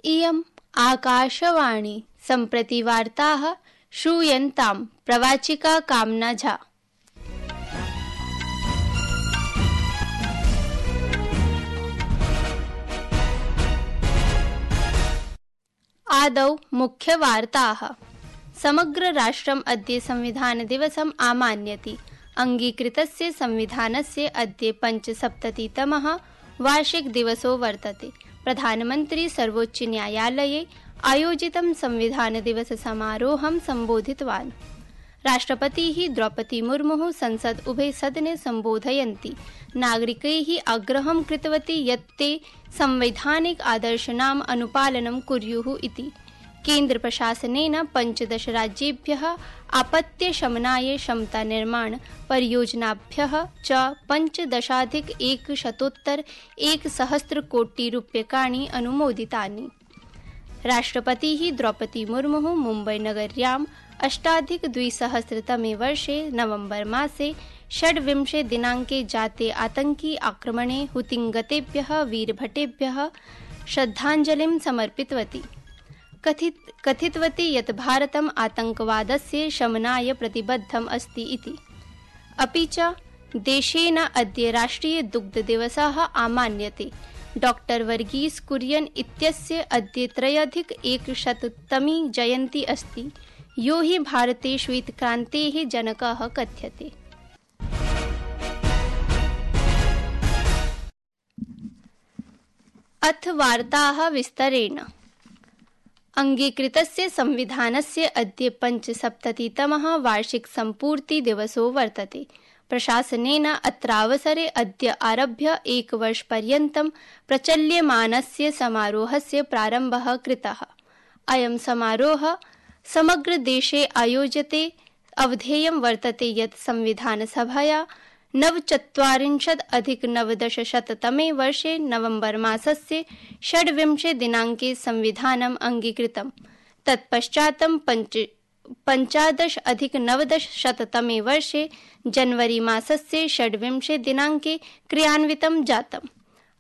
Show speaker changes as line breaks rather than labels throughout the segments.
इयम् आकाशवाणी सम्प्रति वार्ताः श्रूयन्तां प्रवाचिका कामना झा। आदौ मुख्यवार्ताः। समग्र राष्ट्रम् अद्य संविधानदिवसम् आमान्यति। अङ्गीकृतस्य संविधानस्य अद्य 75तमः वार्षिकदिवसो वर्तते। प्रधानमन्त्री सर्वोच्चन्यायालये आयोजितं संविधानदिवससमारोहं सम्बोधितवान्। राष्ट्रपतिः द्रौपदी मुर्मुः संसद उभयसदने सम्बोधयन्ती नागरिकैः आग्रहं कृतवती यत् ते संवैधानिक आदर्शानाम् अनुपालनं कुर्युः इति। केन्द्रप्रशासनेन 15 राज्येभ्यः आपत्तिशमनाय क्षमतानिर्माण परियोजनाभ्यः च 15,100 कोटि रूप्यकाणि अनुमोदितानि। राष्ट्रपतिः द्रौपदी मुर्मुः मुम्बईनगर्याम् 2008 वर्षे नवम्बर मासे 26 दिनाङ्के जाते आतङ्कि आक्रमणे हुतिङ्गतेभ्यः वीरभटेभ्यः श्रद्धाञ्जलिं समर्पितवती। कथितवती यत् भारतम् आतङ्कवादस्य शमनाय प्रतिबद्धम् अस्ति इति। अपि च देशेन अद्य राष्ट्रिय दुग्धदिवसः आमान्यते। डॉक्टर वर्गीस कुरियन इत्यस्य अद्य 3,100तमी जयन्ती अस्ति, यो हि भारते श्वेतक्रान्तेः जनकः कथ्यते। अथ वार्ताः विस्तरेण। अङ्गीकृतस्य संविधानस्य अद्य 75तमः वार्षिकसम्पूर्तिदिवसो वर्तते। प्रशासनेन अत्रावसरे अद्य आरभ्य एकवर्षपर्यन्तं प्रचल्यमानस्य समारोहस्य प्रारम्भः कृतः। अयं समारोहः समग्र देशे आयोज्यते। अवधेयं वर्तते यत् संविधानसभया 49-19 वर्षे नवम्बर मासस्य 26 दिनाङ्के संविधानम् अङ्गीकृतम्। तत्पश्चात् 15-19 वर्षे जनवरी मासस्य 26 दिनाङ्के क्रियान्वितं जातम्।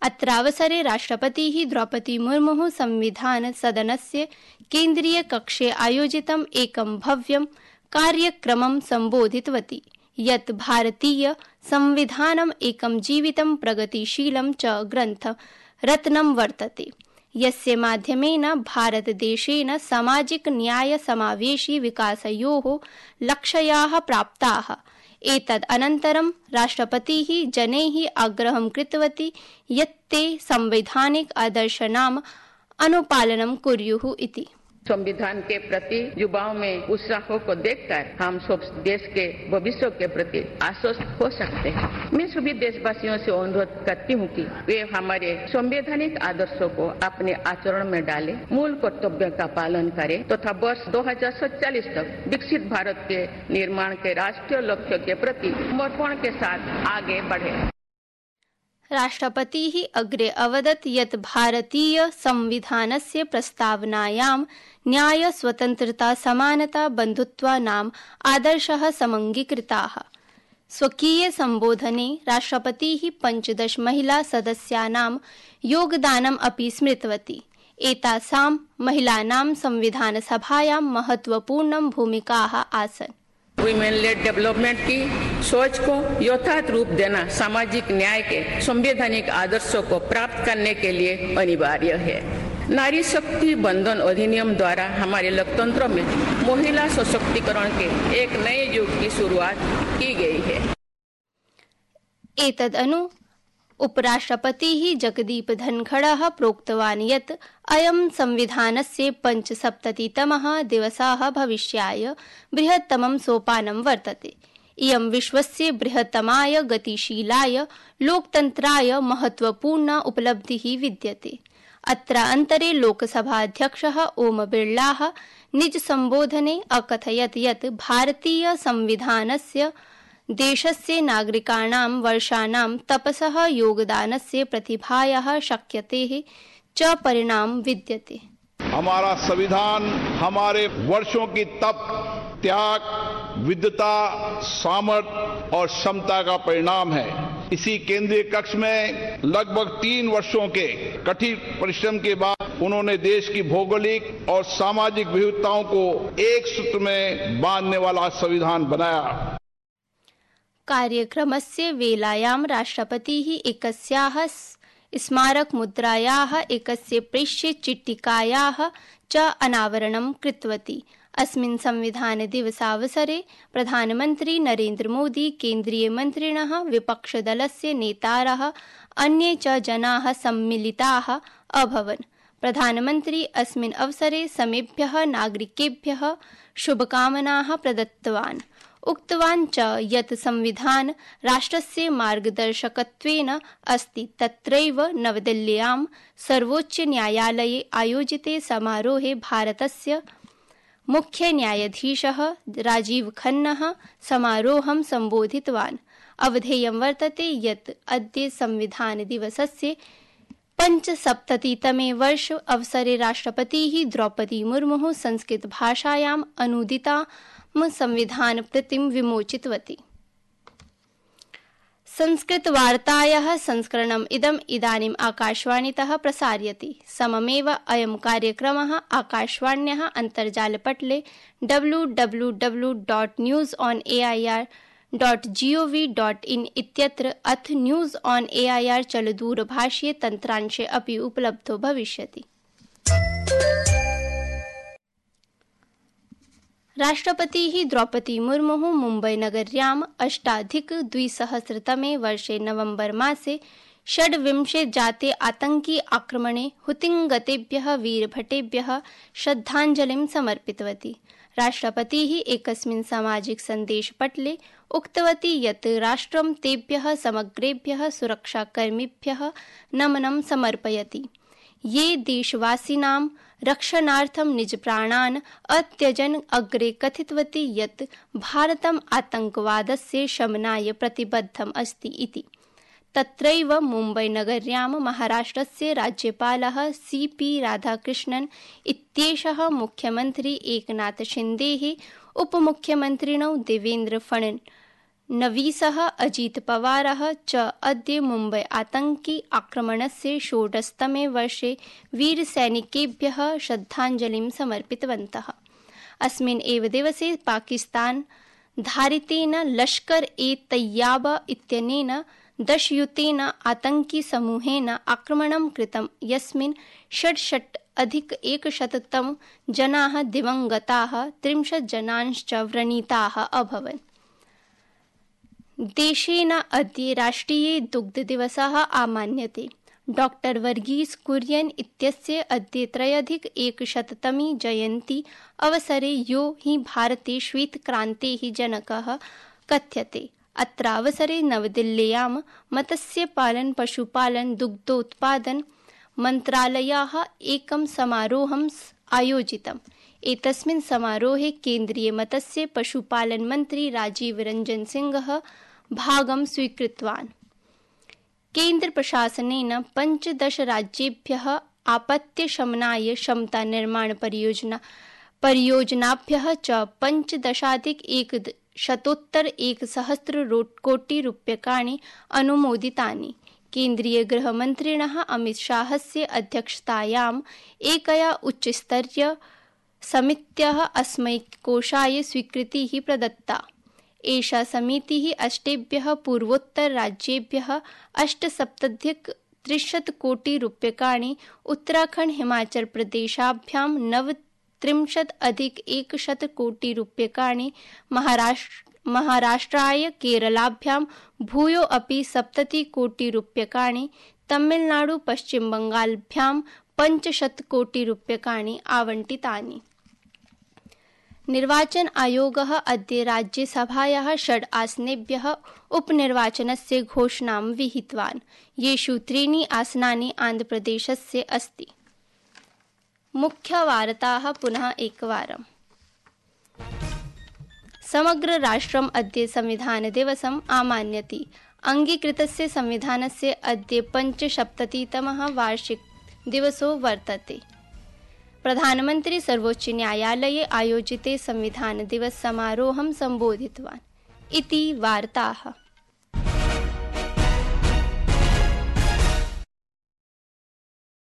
अत्रावसरे राष्ट्रपतिः द्रौपदी मुर्मुः संविधान सदनस्य केन्द्रीयकक्षे आयोजितम् एकं भव्यं कार्यक्रमं सम्बोधितवती यत् भारतीय संविधानम् एकं जीवितं प्रगतिशीलं च ग्रन्थ रत्नं वर्तते, यस्य माध्यमेन भारतदेशेन सामाजिक न्याय समावेशी विकासयोः लक्ष्याः प्राप्ताः। एतद् अनन्तरं राष्ट्रपतिः जनैः आग्रहं कृतवती यत् ते संवैधानिक आदर्शानाम् अनुपालनं कुर्युः इति।
संविधान के प्रति युवाओं में उत्साह को देखकर हम सब देश के भविष्य के प्रति आश्वस्त हो सकते हैं। मैं सभी देशवासियों से अनुरोध करती हूँ कि वे हमारे संवैधानिक आदर्शों को अपने आचरण में डालें, मूल कर्तव्यों का पालन करें तथा वर्ष 2047 तक विकसित भारत के निर्माण के राष्ट्रीय लक्ष्य के प्रति समर्पण के साथ आगे बढ़े।
राष्ट्रपतिः अग्रे अवदत् यत् भारतीय संविधानस्य प्रस्तावनायां न्याय, स्वतन्त्रता, समानता, बन्धुत्वानाम् आदर्शः समङ्गीकृताः। स्वकीय सम्बोधने राष्ट्रपतिः 15 महिला सदस्यानां योगदानम् अपि स्मृतवती। एतासां महिलानां संविधानसभायां महत्वपूर्णं भूमिकाः आसन्।
वुमेन लेड डेवलपमेंट की सोच को यथार्थ रूप देना सामाजिक न्याय के संवैधानिक आदर्शों को प्राप्त करने के लिए अनिवार्य है। नारी शक्ति बंधन अधिनियम द्वारा हमारे लोकतंत्र में महिला सशक्तिकरण के एक नए युग की शुरुआत की गई है।
एतदनु उपराष्ट्रपतिः जगदीप धनखड़ः प्रोक्तवान् यत् अयं संविधानस्य 75तमः दिवसः भविष्याय बृहत्तमं सोपानं वर्तते। इयं विश्वस्य बृहत्तमाय गतिशीलाय लोकतन्त्राय महत्वपूर्णा उपलब्धिः विद्यते। अत्र अन्तरे लोकसभाध्यक्षः ओम बिर्लाः निज सम्बोधने अकथयत् यत् भारतीय संविधानस्य देशस्य नागरिकाणां वर्षाणां तपसः योगदानस्य प्रतिभायाः शक्यतेः च परिणाम विद्यते।
हमारा संविधान हमारे वर्षों की तप, त्याग, विद्वता, सामर्थ्य और क्षमता का परिणाम है। इसी केंद्रीय कक्ष में लगभग 3 वर्षों के कठिन परिश्रम के बाद उन्होंने देश की भौगोलिक और सामाजिक विविधताओं को एक सूत्र में बांधने वाला संविधान बनाया।
कार्यक्रमस्य वेलायां राष्ट्रपतिः एकस्याः स्मारकमुद्रायाः एकस्य प्रेष्यचिट्टिकायाः च अनावरणं कृतवती। अस्मिन् संविधानदिवसावसरे प्रधानमन्त्री नरेन्द्र मोदी, केन्द्रीयमन्त्रिणः, विपक्षदलस्य नेतारः, अन्ये च जनाः सम्मिलिताः अभवन्। प्रधानमन्त्री अस्मिन् अवसरे समेभ्यः नागरिकेभ्यः शुभकामनाः प्रदत्तवान्। उक्तवान् च यत् संविधान राष्ट्रस्य मार्गदर्शकत्वेन अस्ति। तत्रैव नवदिल्ल्यां सर्वोच्चन्यायालये आयोजिते समारोहे भारतस्य मुख्यन्यायाधीशः राजीव खन्नः समारोहं सम्बोधितवान्। अवधेयं वर्तते यत् अद्य संविधानदिवसस्य 75तमे वर्ष अवसरे राष्ट्रपतिः द्रौपदी मुर्मुः संस्कृतभाषायाम् अनूदितां संविधानप्रतिं विमोचितवती। संस्कृतवार्तायाः संस्करणम् इदानीम् आकाशवाणीतः प्रसार्यते। सममेव अयं कार्यक्रमः आकाशवाण्याः अन्तर्जालपटले www.newsonair.gov.in इत्यत्र अथ न्यूज़ ऑन एआईआर चलदूरभाषीय तन्त्रांशे अपि उपलब्धो भविष्यति। राष्ट्रपतिः द्रौपदी मुर्मुः मुम्बईनगर्याम् 2008 वर्षे नवम्बर मासे 26 जाते आतंकी आक्रमणे हुतिङ्गतेभ्यः वीरभटेभ्यः श्रद्धाञ्जलिं समर्पितवती। राष्ट्रपतिः एकस्मिन् सामाजिक सन्देशपटले उक्तवती यत् राष्ट्रं तेभ्यः समग्रेभ्यः सुरक्षाकर्मिभ्यः नमनं समर्पयति ये देशवासिनां रक्षणार्थं निजप्राणान् अत्यजन्। अग्रे कथितवती यत् भारतम् आतङ्कवादस्य शमनाय प्रतिबद्धम् अस्ति इति। तत्रैव मुम्बईनगर्यां महाराष्ट्रस्य राज्यपालः CP राधाकृष्णन् इत्येषः मुख्यमन्त्री एकनाथ शिन्देः, उपमुख्यमन्त्रिणौ देवेन्द्र फडणवीसः, अजित पवारः च अद्य मुम्बई आतङ्की आक्रमणस्य 16तमे वर्षे वीरसैनिकेभ्यः श्रद्धाञ्जलिं समर्पितवन्तः। अस्मिन् एव दिवसे पाकिस्तान धारितेन लश्कर ए तैय्यबा इत्यनेन 10 युतेन आतङ्की समूहेन आक्रमणं कृतं, यस्मिन् 66,100 जनाः दिवङ्गताः, 30 जनांश्च व्रणिताः अभवन्। देशेन अद्य राष्ट्रिय दुग्धदिवसः आमान्यते। डॉक्टर वर्गीस कुरियन इत्यस्य अद्य 3,100तमी जयन्ती अवसरे यो हि भारते श्वेतक्रान्तेः जनकः कथ्यते। अत्रावसरे नवदिल्ल्यां मत्स्यपालन पशुपालन दुग्धोत्पादन मन्त्रालयः एकं समारोहम् आयोजितम्। एतस्मिन् समारोहे केन्द्रीय मत्स्य पशुपालन मन्त्री राजीव रंजन सिंहः भागं स्वीकृतवान्। केन्द्र प्रशासनेन 15 राज्येभ्यः आपत्तिशमनाय क्षमता निर्माण परियोजनाभ्यः च 15,100 कोटि रूप्यकाणि अनुमोदितानि। केन्द्रीय गृहमन्त्रिणः अमित शाहस्य अध्यक्षतायाम् एकया उच्चस्तरीय समित्याः अस्मै कोषाय स्वीकृतिः प्रदत्ता। एषा समितिः 8 पूर्वोत्तरराज्येभ्यः 8,70,300 कोटि रूप्यकाणि, उत्तराखण्ड हिमाचल प्रदेशाभ्यां 39,100 कोटि रूप्यकाणि, महाराष्ट्राय केरलाभ्यां भूयो अपि 70 कोटि रूप्यकाणि, तमिलनाडु पश्चिमबंगालभ्यां 500 कोटि रूप्यकाणि आवंटितानि। निर्वाचन आयोगः अद्य राज्यसभायाः 6 आसनेभ्यः उपनिर्वाचनस्य घोषणां विहितवान्, येषु 3 आसनानि आन्ध्रप्रदेशस्य अस्ति। मुख्यवार्ताः पुनः एकवारम्। समग्र राष्ट्रम् अद्य संविधानदिवसम् आमान्यति। अङ्गीकृतस्य संविधानस्य अद्य 75तमः वार्षिकदिवसो वर्तते। प्रधानमन्त्री सर्वोच्चन्यायालये आयोजिते संविधानदिवस समारोहं सम्बोधितवान्। इति वार्ताः।